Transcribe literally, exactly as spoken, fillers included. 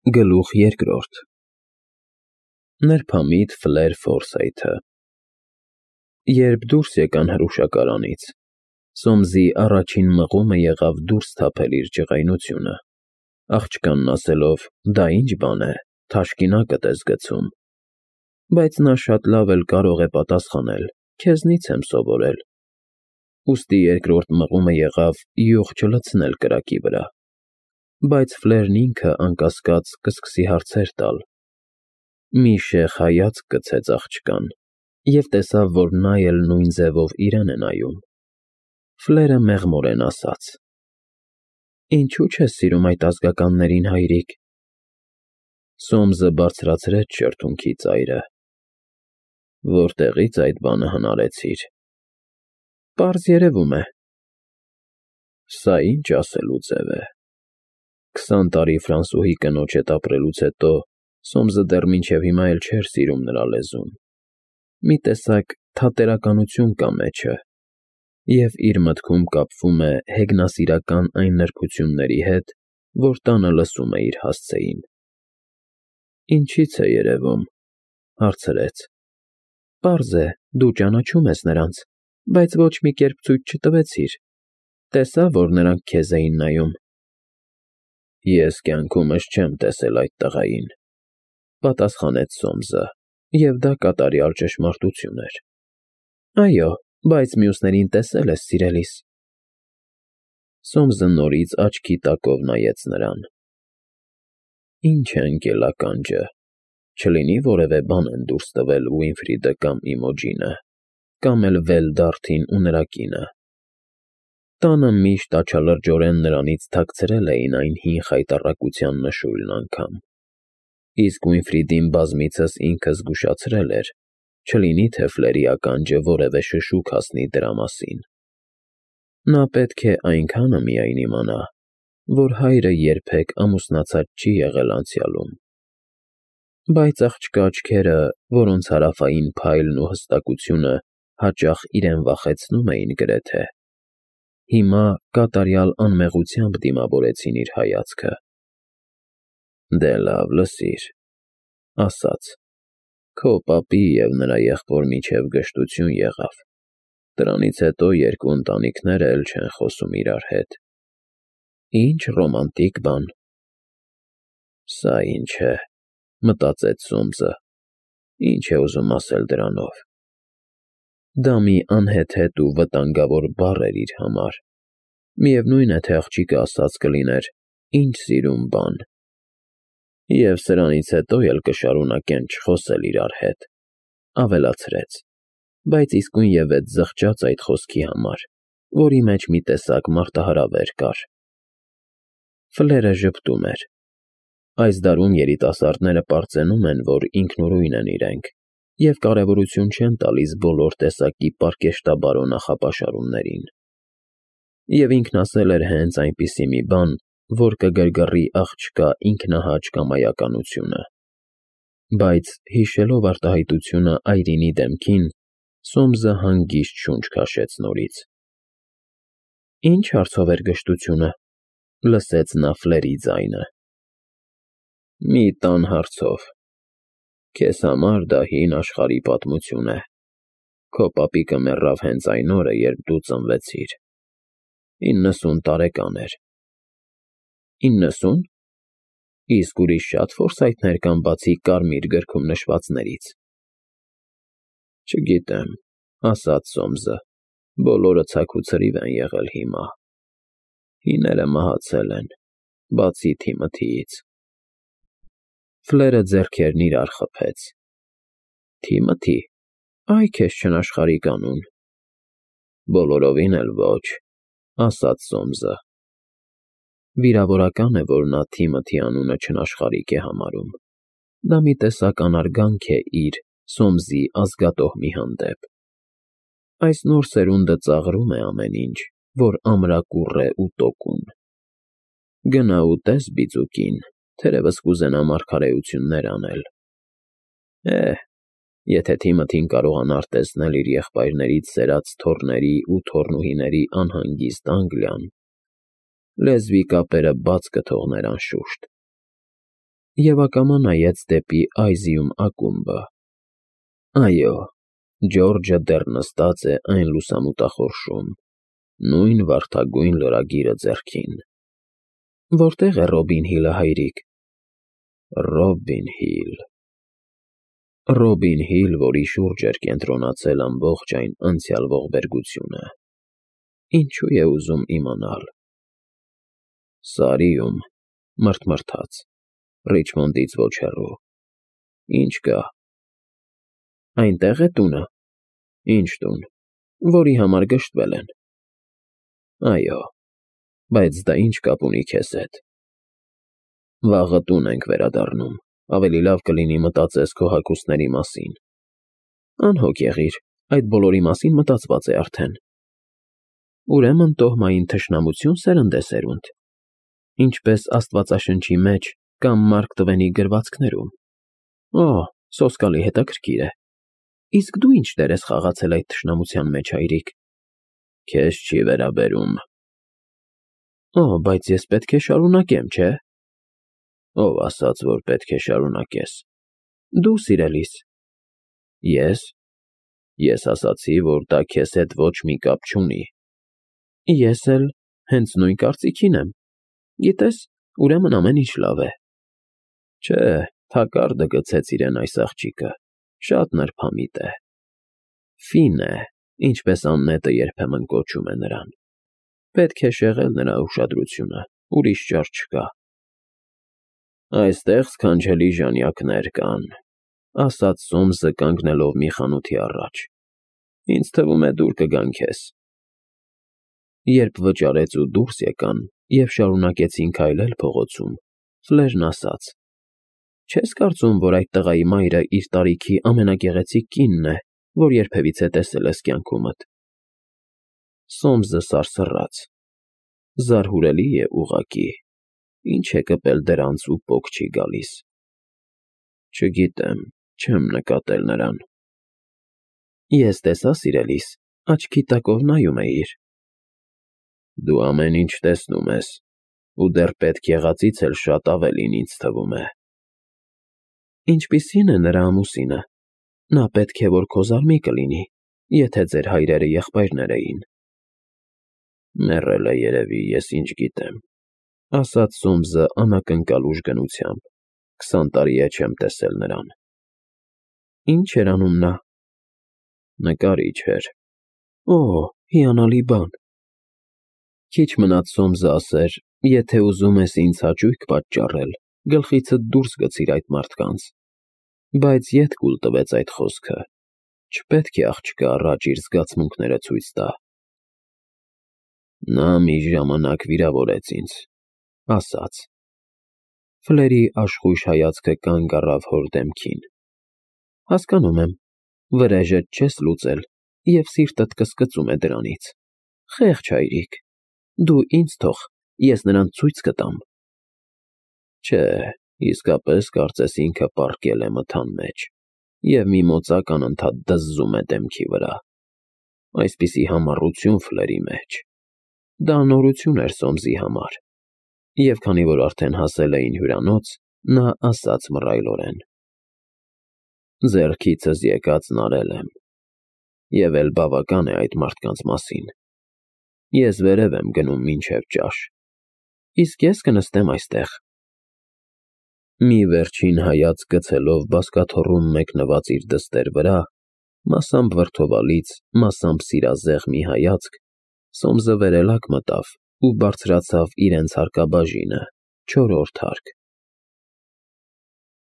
Գլուխ երկրորդ Նրբամիտ Ֆլեր Ֆորսայթը Երբ դուրս եկան հրուշակարանից, Սոմսի առաջին մղումը եղավ դուրս թափել իր ջղայնությունը, աղջկանն ասելով. «Դա ի՞նչ բան է, թաշկինակդ ես գցում»։ Բայց նա շատ լավ էլ կարող է պատասխանել. «Քեզնից եմ սովորել»։ Ուստի երկրորդ մղումը եղավ յուղ չլցնել կրակի վրա, բայց Ֆլերն ինքը, անկասկած, կսկսի հարցեր տալ։ Մի շեխ հայացք գցեց աղջկան և տեսավ, որ նա էլ նույն ձևով իրեն է նայում։ Ֆլերը մեղմորեն ասաց. «Ինչո՞ւ չես սիրում այդ ազգականներին, հայրիկ»։ Սոմսը բարձրացրեց շրթունքի ծայրը. «Որտեղի՞ց այդ բանը հնարեցիր»։ «Պարզ երևում է»։ Սա ի՞նչ ասելու ձև է։ Քսան տարի ֆրանսուհի կնոջ հետ ապրելուց հետո Սոմսը դեռ մինչև հիմա էլ չէր սիրում նրա լեզուն։ Մի տեսակ թատերականություն կա մեջը, և իր մտքում կապվում է հեգնասիրական այն նրբությունների հետ, որ տանը լսում է իր հասցեին։ «Ինչի՞ց է երևում»։ Հարցրեց։ «Պարզ է, դու ճանաչում ես նրանց, բայց ոչ մի կերպ ցույց չտվեցիր։ Տեսա, որ նրանք քեզ էին նայում»։ «Ես կյանքումս չեմ տեսել այդ տղային», պատասխանեց Սոմսը, և դա կատարյալ ճշմարտություն էր։ «Այո, բայց մյուսներին տեսել ես, սիրելիս»։ Սոմսը նորից աչքի տակով նայեց նրան։ «Ի՞նչ է ընկել ականջը, չլինի որևէ բան են դուրս տվել Ուինֆրիդը կամ Իմոջինը, կամ էլ Վելդարթին ու նրա կինը»։ Տանը միշտ աչալրջորեն նրանից թաքցրել էին այն հին խայտառակության նշույլն անգամ, իսկ Ուինֆրիդին բազմիցս ինքը զգուշացրել էր, չլինի թե Ֆլերի ականջը որևէ շշուկ հասնի դրա մասին։ Նա պետք է այնքանը միայն իմանա, որ հայրը երբեք ամուսնացած չի եղել անցյալում։ Բայց աղջկա աչքերը, որոնց հարավային փայլն ու հստակությունը հաճախ իրեն վախեցնում էին գրեթե, հիմա կատարյալ անմեղությամբ դիմավորեցին իր հայացքը։ «Դե լավ, լսիր», ասաց. «Քո պապի և նրա եղբոր միջև գժտություն եղավ, դրանից հետո երկու ընտանիքները էլ չեն խոսում իրար հետ»։ «Ինչ ռոմանտիկ բան»։ «Սա ինչ է», մտածեց Սոմսը, «ինչ է ուզում ասել դրանով»։ Դա մի անհեթեթ ու վտանգավոր բառ էր իր համար։ Միևնույն է, թե աղջիկը ասած կլիներ. «Ինչ սիրուն բան»։ Եվ սրանից հետո էլ կշարունակեն չխոսել իրար հետ, ավելացրեց, բայց իսկույնևեթ զղջաց այդ խոսքի համար, որի մեջ մի տեսակ մարտահրավեր կար։ Ֆլերը ժպտում էր։ Այս դարում երիտասարդները պարծենում են, որ ինքնուրույն են իրենք, և կարևորություն չեն տալիս բոլոր տեսակի պարկեշտաբարո նախապաշարումներին։ Եվ ինքն ասել էր հենց այնպիսի մի բան, որ կգրգռի աղջկա ինքնահաճ կամայականությունը։ Բայց, հիշելով արտահայտությունը այրինի դեմքին, Սոմսը հանգիստ շունչ քաշեց նորից։ «Ի՞նչ հարցով էր գժտությունը», լսեց նա Ֆլերի ձայնը։ «Մի տան հարցով։ Քեզ համար դա հին աշխարհի պատմություն է։ Քո պապիկը մեռավ հենց այն օրը, երբ դու ծնվեցիր։ Իննսուն տարեկան էր»։ «Իննսուն։ Իսկ ուրիշ շա՞տ Ֆորսայթներ կան, բացի կարմիր գրքում նշվածներից»։ «Չգիտեմ», ասաց Սոմսը, «բոլորը ցաք ու ցրիվ են եղել հիմա։ Հիները մահացել են, բացի Թիմոթիից»։ Ֆլերը ձեռքերն իրար խփեց։ «Թիմոթի, այ քեզ չնաշխարհիկ անուն»։ «Բոլորովին էլ ոչ», ասաց Սոմսը։ Վիրավորական է, որ նա Թիմոթի անունը չնաշխարհիկ է համարում։ Դա մի տեսակ անարգանք է իր՝ Սոմսի ազգատոհմի հանդեպ։ Այս նոր սերունդը ծաղրում է ամեն ինչ, որ ամրակուռ է ու տոկուն։ Գնա ու տես բիծուկին, թերևս կուզենա մարգարեություններ անել։ Է՜, եթե Թիմոթին կարողանար տեսնել իր եղբայրներից սերած թոռների ու թոռնուհիների անհանգիստ Անգլիան, լեզվի կապերը բաց կթողներ անշուշտ։ և ակամա նայեց դեպի Այզիում ակումբը։ Այո, Ջորջը դեռ նստած է այն լուսամուտախորշում, նույն վարդագույն լրագիրը ձեռքին։ Որտե՞ղ է Ռոբին Հիլը, հայրիկ։ Ռոբին Հիլ… Ռոբին Հիլ, որի շուրջ էր կենտրոնացել ամբողջ այն անցյալ ողբերգությունը։ Ինչու է ուզում իմանալ։ Սարիում, մռթմռթաց, Ռիչմոնդից ոչ հեռու։ Ինչ կա։ Այնտեղ է տունը։ Ինչ տուն, որի համար գժտվել են։ Այո, բայց դա ինչ կապ ունի քեզ հետ։ Վաղը տուն ենք վերադառնում, ավելի լավ կլինի մտածես քո հագուստների մասին։ Անհոգ եղիր, այդ բոլորի մասին մտածված է արդեն։ Ուրեմն տոհմային թշնամություն սերընդ է սերունդ, ինչպես Աստվածաշնչի մեջ կամ Մարկ Տվենի գրվածքներում։ Օ, սոսկալի հետաքրքիր է։ Իսկ դու ինչ դեր ես խաղացել այդ թշնամության մեջ, հայրիկ։ Քեզ չի վերաբերում։ Օ, բայց ես պետք է շարունակեմ, չէ՞։ Ով ասաց, որ պետք է շարունակես։ Դու, սիրելիս։ Ես։ Ես ասացի, որ դա քեզ հետ ոչ մի կապ չունի։ Ես էլ հենց նույն կարծիքին եմ։ Գիտես, ուրեմն ամեն ինչ լավ է։ Չէ, թակարդը գցեց իրեն այս աղջիկը, շատ նրբամիտ է։ Ֆին է, ինչպես Աննետը երբեմն կոչում է նրան։ Պետք է շեղել նրա ուշադրությունը, ուրիշ ճար չկա։ Այստեղ սքանչելի ժանյակներ կան, ասաց Սոմսը կանգնելով մի խանութի առաջ։ Ինձ թվում է դուր կգան քեզ։ Երբ վճարեց ու դուրս եկան և շարունակեցին քայլել փողոցում, Ֆլերն ասաց. Չես կարծում, որ այդ տղայի մայրը իր տարիքի ամենագեղեցիկ կինն է, որ երբևիցե տեսել ես կյանքումդ։ Սոմսը սարսռաց։ Զարհուրելի է ուղղակի։ Ինչ է կպել դրանց ու պոկ չի գալիս։ Չգիտեմ, չեմ նկատել նրան։ Ես տեսա, սիրելիս, աչքի տակով նայում էիր։ Դու ամեն ինչ տեսնում ես, ու դեռ պետք եղածից էլ շատ ավելին, ինձ թվում է։ Ինչպիսի՞ն է նրա ամուսինը։ Նա պետք է որ քո զարմիկը լինի, եթե ձեր հայրերը եղբայրներ էին։ Մեռել է երևի, ես ինչ գիտեմ, ասաց Սոմսը անակնկալ ուժգնությամբ, քսան տարի է չեմ տեսել նրան։ Ինչ էր անում նա։ Նկարիչ էր։ Օ, հիանալի բան։ Քիչ մնաց Սոմսը ասեր, եթե ուզում ես ինձ հաճույք պատճառել, գլխիցդ դուրս գցիր այդ մարդկանց, բայց ետ կուլ տվեց այդ խոսքը, չպետք է աղջկա առաջ իր զգացմունքները ցույց տա։ Նա մի ժամանակ վիրավորեց ինձ, ասաց։ Ֆլերի աշխույժ հայացքը կանգ առավ հոր դեմքին։ Հասկանում եմ, վրեժդ չես լուծել, և սիրտդ կսկծում է դրանից։ Խեղճ հայրիկ, դու ինձ թող, ես նրան ցույց կտամ։ Չէ, իսկապես կարծես ինքը պառկել է մթան մեջ, և մի մոծակ անընդհատ դզզում է դեմքի վրա։ Այսպիսի համառություն Ֆլերի մեջ։ Դա նորություն էր Սոմսի համար, և քանի որ արդեն հասել էին հյուրանոց, նա ասաց մռայլորեն. Ձեռքիցս եկածն արել եմ, և էլ բավական է այդ մարդկանց մասին։ Ես վերև եմ գնում մինչև ճաշ, իսկ ես կնստեմ այստեղ։ Մի վերջին հայացք գցելով բազկաթոռում մեկնված իր դստեր վրա, մասամբ վրդովալից, մասամբ սիրազեղ մի հայացք, Սոմսը վերելակ մտավ ու բարձրացավ իրենց հարկաբաժինը, չորրորդ հարկ։